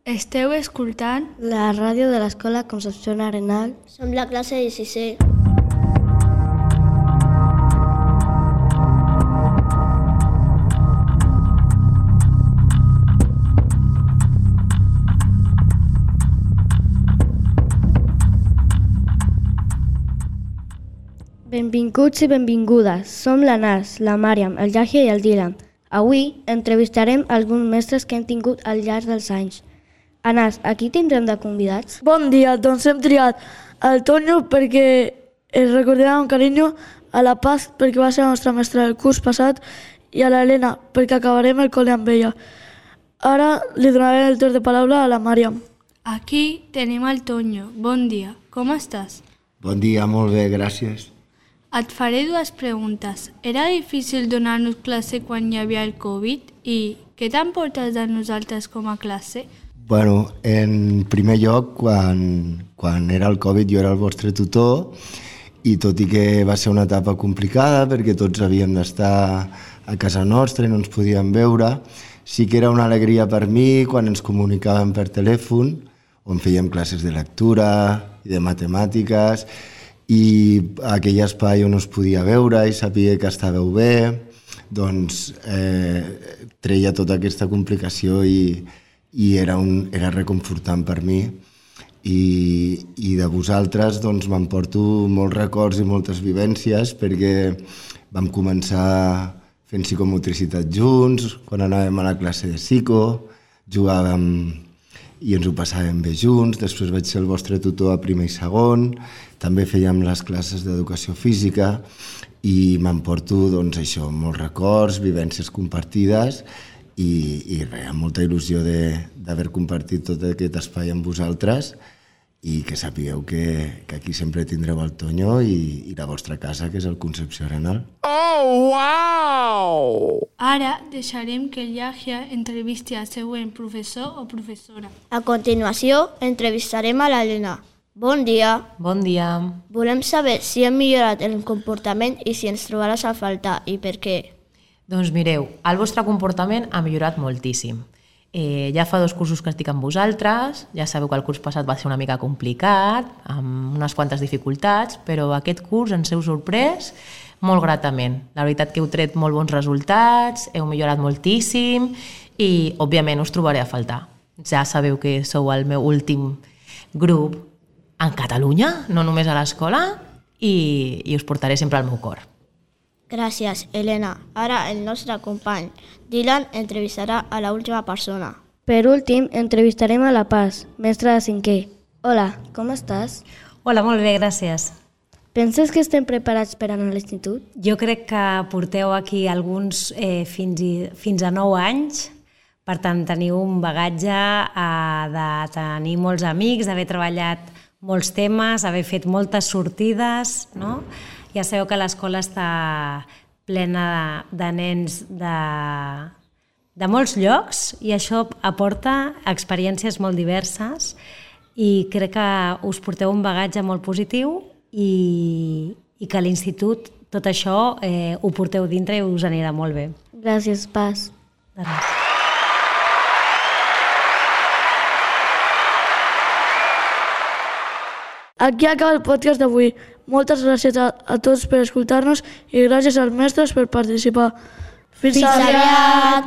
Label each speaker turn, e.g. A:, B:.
A: Esteu escoltant
B: la ràdio de l'Escola Concepción Arenal.
C: Som la classe de 6è.
B: Benvinguts i benvingudes. Som l'Anas, la Màriam, el Yahya i el Dylan. Avui entrevistarem alguns mestres que hem tingut al llarg dels anys. Anas, a qui tindrem de convidats?
D: Bon dia, doncs hem triat el Tonyo perquè es recordarà amb carinyo, a la Paz perquè va ser la nostra mestra del curs passat i a l'Helena perquè acabarem el col·le amb ella. Ara li donaré el torn de paraula a la Màriam.
A: Aquí tenim el Tonyo. Bon dia, com estàs?
E: Bon dia, molt bé, gràcies.
A: Et faré dues preguntes. Era difícil donar-nos classe quan hi havia el Covid i què t'emportes de nosaltres com a classe?
E: Bueno, en primer lloc, quan era el Covid jo era el vostre tutor i tot i que va ser una etapa complicada perquè tots havíem d'estar a casa nostra i no ens podíem veure, sí que era una alegria per mi quan ens comunicàvem per telèfon, on fèiem classes de lectura i de matemàtiques, i aquell espai on us podia veure i sabia que estàveu bé, doncs treia tota aquesta complicació i era reconfortant per mi. I de vosaltres doncs, m'emporto molts records i moltes vivències perquè vam començar fent psicomotricitat junts, quan anàvem a la classe de psico, jugàvem i ens ho passàvem bé junts, després vaig ser el vostre tutor a primer i segon, també fèiem les classes d'educació física i m'emporto doncs, això, molts records, vivències compartides i res, amb molta il·lusió d'haver compartit tot aquest espai amb vosaltres i que sapigueu que aquí sempre tindreu el Tonyo i la vostra casa, que és el Concepció Arenal.
F: Oh, wow!
A: Ara deixarem que el Yahya entrevisti el següent professor o professora.
C: A continuació, entrevistarem a l'Helena. Bon dia.
G: Bon dia.
C: Volem saber si hem millorat el comportament i si ens trobaràs a faltar i per què.
G: Doncs mireu, el vostre comportament ha millorat moltíssim. Ja fa 2 cursos que estic amb vosaltres, ja sabeu que el curs passat va ser una mica complicat, amb unes quantes dificultats, però aquest curs ens heu sorprès molt gratament. La veritat que heu tret molt bons resultats, heu millorat moltíssim i, òbviament, us trobaré a faltar. Ja sabeu que sou el meu últim grup en Catalunya, no només a l'escola, i us portaré sempre al meu cor.
C: Gràcies, Helena. Ara el nostre company Dylan entrevistarà a l'última persona.
B: Per últim, entrevistarem a la Paz, mestra de 5è. Hola, com estàs?
H: Hola, molt bé, gràcies.
B: Penses que estem preparats per anar a l'institut?
H: Jo crec que porteu aquí alguns fins a 9 anys, per tant teniu un bagatge de tenir molts amics, d'haver treballat molts temes, haver fet moltes sortides, no? Ja sabeu que l'escola està plena de nens de molts llocs i això aporta experiències molt diverses i crec que us porteu un bagatge molt positiu i que a l'institut tot això ho porteu dintre i us anirà molt bé.
B: Gràcies, Paz.
H: De res.
D: Aquí acaba el podcast d'avui. Moltes gràcies a tots per escoltar-nos i gràcies als mestres per participar. Fins
C: aviat!